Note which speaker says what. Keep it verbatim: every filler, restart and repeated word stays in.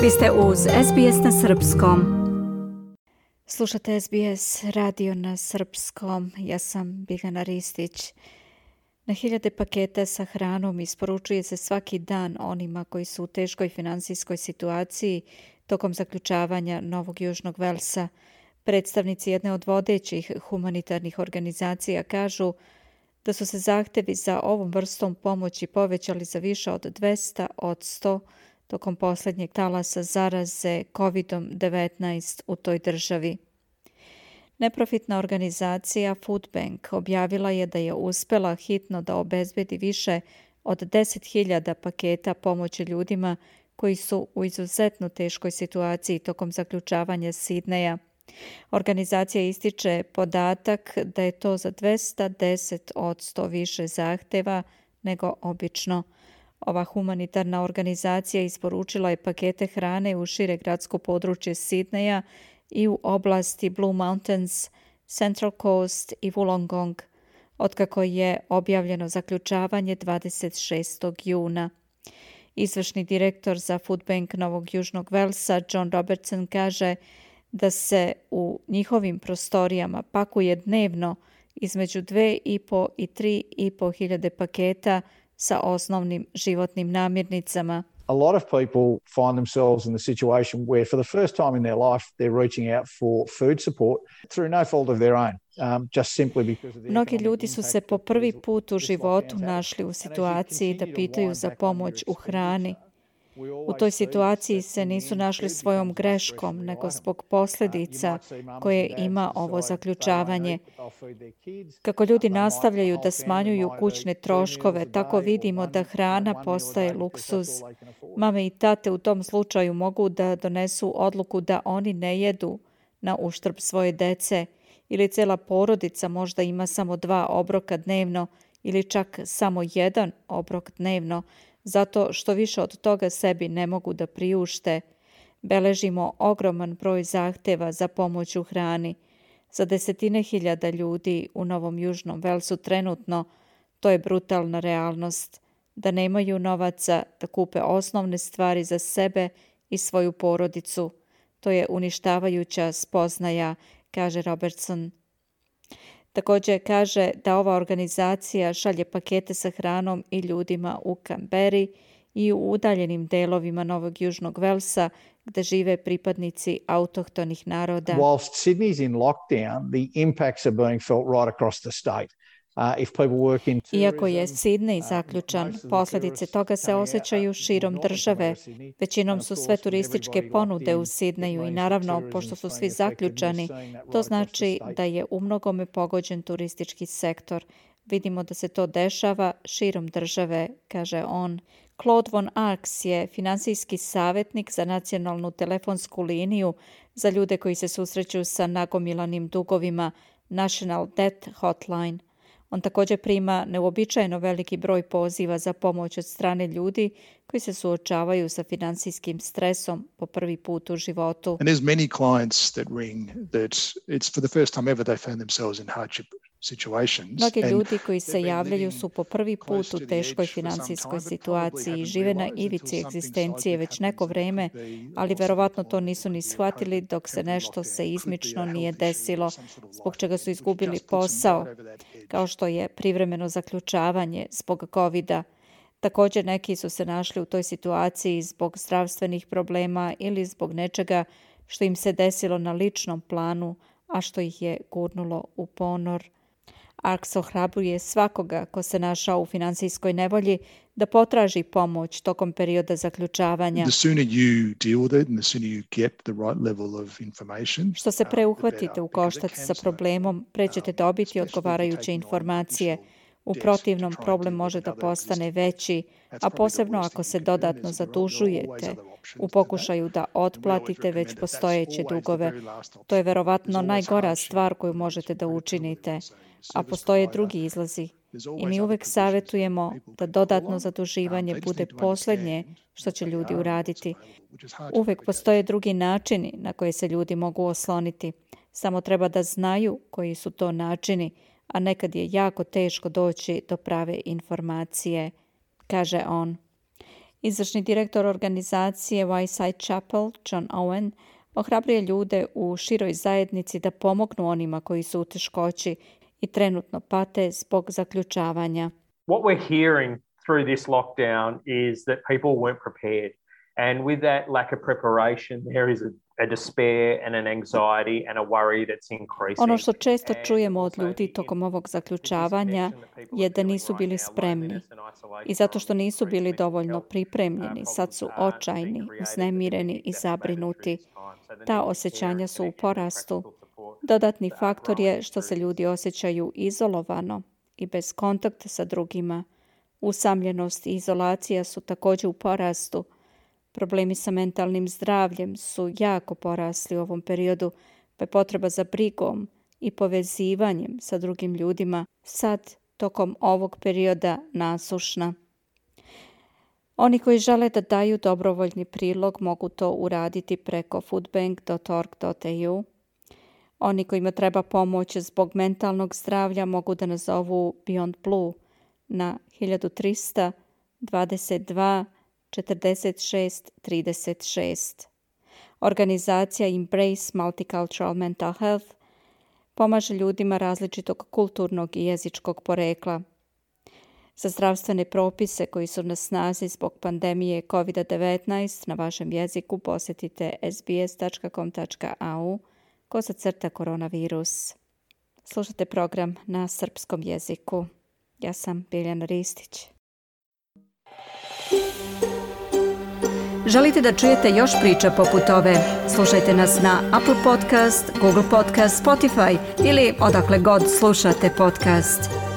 Speaker 1: Vi ste uz S B S na srpskom. Slušate S B S radio na srpskom. Ja sam Biljana Ristić. Na hiljade paketa sa hranom isporučuje se svaki dan onima koji su u teškoj finansijskoj situaciji tokom zaključavanja Novog Južnog Velsa. Predstavnici jedne od vodećih humanitarnih organizacija kažu da su se zahtevi za ovom vrstom pomoći povećali za više od dvesta posto tokom posljednjeg talasa zaraze kovid devetnaest u toj državi. Neprofitna organizacija Food Bank objavila je da je uspjela hitno da obezbedi više od deset hiljada paketa pomoći ljudima koji su u izuzetno teškoj situaciji tokom zaključavanja Sidneja. Organizacija ističe podatak da je to za dvesta deset posto više zahteva nego obično. Ova humanitarna organizacija isporučila je pakete hrane u šire gradsko područje Sidneja i u oblasti Blue Mountains, Central Coast i Wollongong, otkako je objavljeno zaključavanje dvadeset šestog juna. Izvršni direktor za Food Bank Novog Južnog Velsa, John Robertson, kaže da se u njihovim prostorijama pakuje dnevno između dve i po i tri i po hiljade paketa sa osnovnim životnim namirnicama.
Speaker 2: A lot of people find themselves in the situation where for the first time in their life they're reaching out for food support through no fault of their own. Um, just simply because of the
Speaker 1: Mnogi ljudi su se po prvi put u životu našli u situaciji da pitaju za pomoć u hrani. U toj situaciji se nisu našli svojom greškom, nego zbog posljedica koje ima ovo zaključavanje. Kako ljudi nastavljaju da smanjuju kućne troškove, tako vidimo da hrana postaje luksuz. Mame i tate u tom slučaju mogu da donesu odluku da oni ne jedu na uštrb svoje dece, ili cijela porodica možda ima samo dva obroka dnevno ili čak samo jedan obrok dnevno, zato što više od toga sebi ne mogu da priušte. Beležimo ogroman broj zahteva za pomoć u hrani. Za desetine hiljada ljudi u Novom Južnom Velsu trenutno to je brutalna realnost, da nemaju novaca da kupe osnovne stvari za sebe i svoju porodicu. To je uništavajuća spoznaja, kaže Robertson. Također kaže da ova organizacija šalje pakete sa hranom i ljudima u Canberri i u udaljenim delovima Novog Južnog Velsa gdje žive pripadnici autohtonih naroda.
Speaker 2: Whilst Sydney's in lockdown, the impacts are being felt right across the state. Uh, if people work in tourism,
Speaker 1: Iako je Sidney zaključan, posljedice toga se osjećaju širom države. Većinom su sve turističke ponude u Sidneju i naravno, pošto su svi zaključani, to znači da je u mnogome pogođen turistički sektor. Vidimo da se to dešava širom države, kaže on. Claude von Arx je finansijski savjetnik za nacionalnu telefonsku liniju za ljude koji se susreću sa nagomilanim dugovima, National Debt Hotline. On također prima neuobičajeno veliki broj poziva za pomoć od strane ljudi koji se suočavaju sa finansijskim stresom po prvi put u životu.
Speaker 3: And there's many clients that ring that it's for the first time ever they found themselves in hardship situations.
Speaker 1: Mnogi ljudi koji se javljaju su po prvi put u teškoj finansijskoj situaciji i žive na ivici egzistencije već neko vrijeme, ali verovatno to nisu ni shvatili dok se nešto seizmično nije desilo, zbog čega su izgubili posao, kao što je privremeno zaključavanje zbog kovida. Također neki su se našli u toj situaciji zbog zdravstvenih problema ili zbog nečega što im se desilo na ličnom planu, a što ih je gurnulo u ponor. Arx ohrabruje svakoga ko se našao u finansijskoj nevolji da potraži pomoć tokom perioda zaključavanja. Što se pre uhvatite u koštac sa problemom, pre ćete dobiti odgovarajuće informacije. U protivnom, problem može da postane veći, a posebno ako se dodatno zadužujete u pokušaju da otplatite već postojeće dugove. To je verovatno najgora stvar koju možete da učinite, a postoje drugi izlazi. I mi uvek savjetujemo da dodatno zaduživanje bude posljednje što će ljudi uraditi. Uvek postoje drugi načini na koje se ljudi mogu osloniti. Samo treba da znaju koji su to načini, a nekad je jako teško doći do prave informacije, kaže on. Izvršni direktor organizacije Wyeside Chapel, John Owen, ohrabruje ljude u široj zajednici da pomognu onima koji su u teškoći i trenutno pate zbog zaključavanja.
Speaker 4: What we're hearing through this lockdown is that people weren't prepared. And with that lack of preparation, there is a, a despair and an anxiety and a worry that's increasing.
Speaker 1: Ono što često čujemo od ljudi tokom ovog zaključavanja je da nisu bili spremni. I zato što nisu bili dovoljno pripremljeni, sad su očajni, uznemireni i zabrinuti. Ta osjećanja su u porastu. Dodatni faktor je što se ljudi osjećaju izolovano i bez kontakta sa drugima. Usamljenost i izolacija su također u porastu. Problemi sa mentalnim zdravljem su jako porasli u ovom periodu, pa je potreba za brigom i povezivanjem sa drugim ljudima sad, tokom ovog perioda, nasušna. Oni koji žele da daju dobrovoljni prilog mogu to uraditi preko foodbank dot org dot a u. Oni kojima treba pomoć zbog mentalnog zdravlja mogu da nazovu Beyond Blue na hiljadu trista dvadeset dva četrdeset šest trideset šest. Organizacija Embrace Multicultural Mental Health pomaže ljudima različitog kulturnog i jezičkog porekla. Za zdravstvene propise koji su na snazi zbog pandemije kovid devetnaest na vašem jeziku posjetite s b s dot com dot a u kosacrta koronavirus. Slušate program na srpskom jeziku. Ja sam Biljana Ristić. Želite da čujete još priča poput ove? Slušajte nas na Apple Podcast, Google Podcast, Spotify ili odakle god slušate podcast.